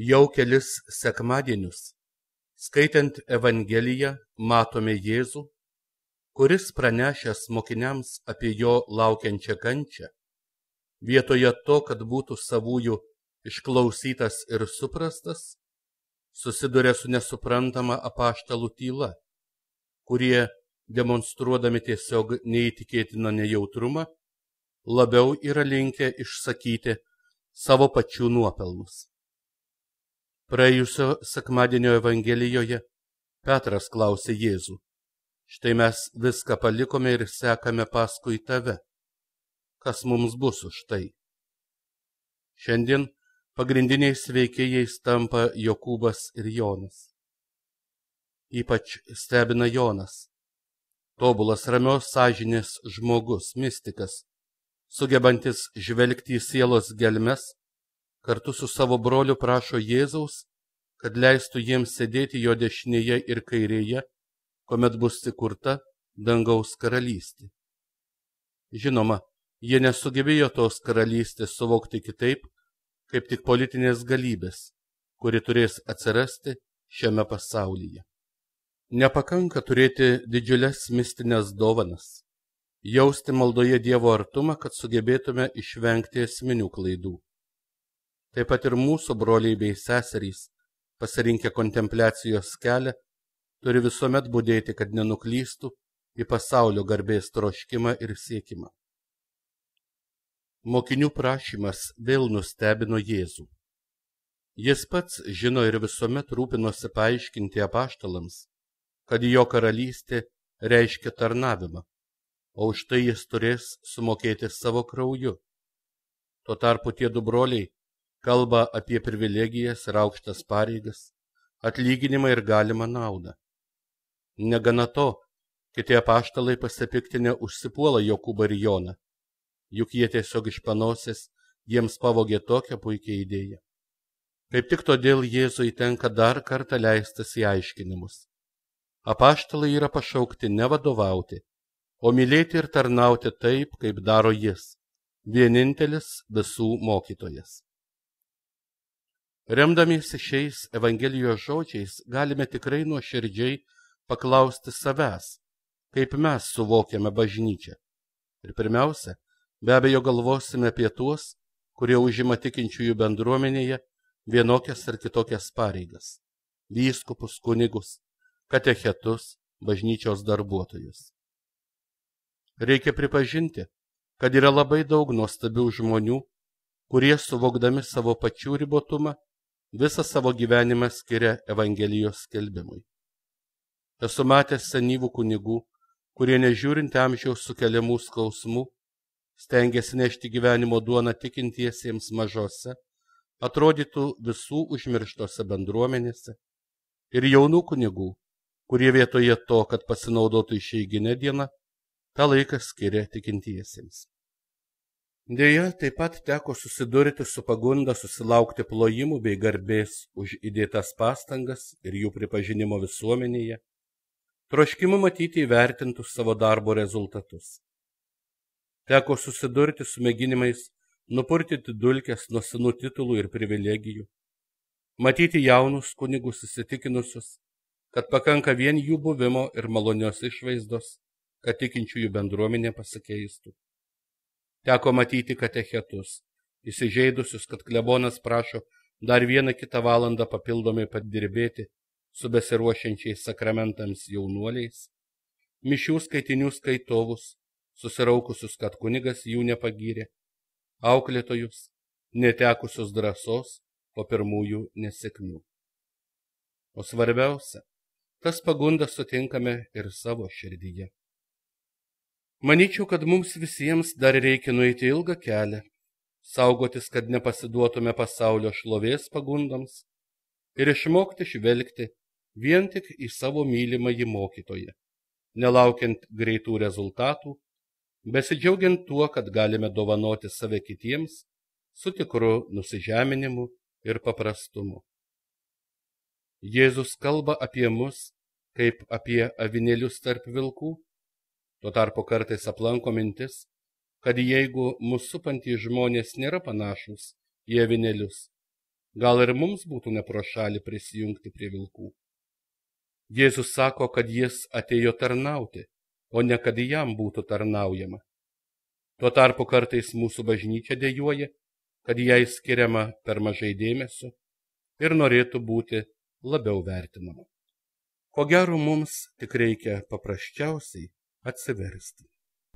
Jau kelis sekmadienius, skaitant Evangeliją, matome Jėzų, kuris pranešęs mokiniams apie jo laukiančią kančią, vietoje to, kad būtų savųjų išklausytas ir suprastas, susiduria su nesuprantama apaštalų tyla, kurie, demonstruodami tiesiog neįtikėtiną nejautrumą, labiau yra linkę išsakyti savo pačių nuopelnus. Praėjusio sekmadienio Evangelijoje Petras klausė Jėzų: štai mes viską palikome ir sekame paskui tave. Kas mums bus už tai? Šiandien pagrindiniais veikėjais tampa Jokūbas ir Jonas. Ypač stebina Jonas, tobulas ramios sąžinės žmogus, mistikas, sugebantis žvelgti į sielos gelmes, kartu su savo broliu prašo Jėzaus, kad leistų jiems sėdėti jo dešinėje ir kairėje, kuomet bus įkurta dangaus karalystė. Žinoma, jie nesugebėjo tos karalystės suvokti kitaip, kaip tik politinės galybės, kuri turės atsirasti šiame pasaulyje. Nepakanka turėti didžiules mistinės dovanas, jausti maldoje Dievo artumą, kad sugebėtume išvengti esminių klaidų. Taip pat ir mūsų broliai bei seserys, pasirinkę kontempliacijos kelią, turi visuomet budėti, kad nenuklystų į pasaulio garbės troškimą ir siekimą. Mokinių prašymas vėl nustebino Jėzų. Jis pats žino ir visuomet rūpinosi paaiškinti apaštalams, kad jo karalystė reiškia tarnavimą, o už tai jis turės sumokėti savo krauju. Tuo tarpu tie du broliai kalba apie privilegijas ir aukštas pareigas, atlyginimą ir galimą naudą. Negana to, kiti apaštalai pasipiktinę užsipuola Jokūbą ir Joną, juk jie tiesiog iš panosės jiems pavogė tokią puikią idėją. Kaip tik todėl Jėzui tenka dar kartą leistis į aiškinimus. Apaštalai yra pašaukti ne vadovauti, o mylėti ir tarnauti taip, kaip daro jis, vienintelis visų mokytojas. Remdamiesi šiais Evangelijos žodžiais galime tikrai nuoširdžiai paklausti savęs, kaip mes suvokiame bažnyčią. Ir pirmiausia, be abejo galvosime apie tuos, kurie užima tikinčiųjų bendruomenėje vienokias ar kitokias pareigas – vyskupus, kunigus, katechetus, bažnyčios darbuotojus. Reikia pripažinti, kad yra labai daug nuostabių žmonių, kurie suvokdami savo pačių ribotumą, visą savo gyvenimą skiria Evangelijos skelbimui. Esu matęs senyvų kunigų, kurie nežiūrint amžiaus sukeliamų skausmų, stengiasi nešti gyvenimo duoną tikintiesiems mažose, atrodytų visų užmirštose bendruomenėse, ir jaunų kunigų, kurie vietoje to, kad pasinaudotų išeiginę dieną, tą laiką skiria tikintiesiems. Deja, taip pat teko susidurti su pagunda susilaukti plojimų bei garbės už įdėtas pastangas ir jų pripažinimo visuomenėje, troškimu matyti įvertintus savo darbo rezultatus. Teko susidurti su mėginimais nupurtyti dulkes nuo senų titulų ir privilegijų, matyti jaunus kunigus įsitikinusius, kad pakanka vien jų buvimo ir malonios išvaizdos, kad tikinčiųjų bendruomenė pasikeistų. Teko matyti katechetus, įsižeidusius, kad klebonas prašo dar 1-2 valandą papildomai padirbėti su besiruošiančiais sakramentams jaunuoliais, mišių skaitinių skaitovus, susiraukusius, kad kunigas jų nepagyrė, auklėtojus, netekusius drąsos po pirmųjų nesėkmių. O svarbiausia, tas pagundas sutinkame ir savo širdyje. Manyčiau, kad mums visiems dar reikia nueiti ilgą kelią, saugotis, kad nepasiduotume pasaulio šlovės pagundoms ir išmokti žvelgti vien tik į savo mylimąjį mokytoją, nelaukiant greitų rezultatų, besidžiaugiant tuo, kad galime dovanoti save kitiems su tikru nusižeminimu ir paprastumu. Jėzus kalba apie mus kaip apie avinėlius tarp vilkų. Tuo tarpu kartais aplanko mintis, kad jeigu mus supantys žmonės nėra panašus į avinėlius, gal ir mums būtų ne pro šalį prisijungti prie vilkų. Jėzus sako, kad jis atėjo tarnauti, o ne kad jam būtų tarnaujama. Tuo tarpu kartais mūsų bažnyčia dejuoja, kad jai skiriama per mažai dėmesio ir norėtų būti labiau vertinama. Ko gero mums tik reikia paprasčiausiai atsiversti.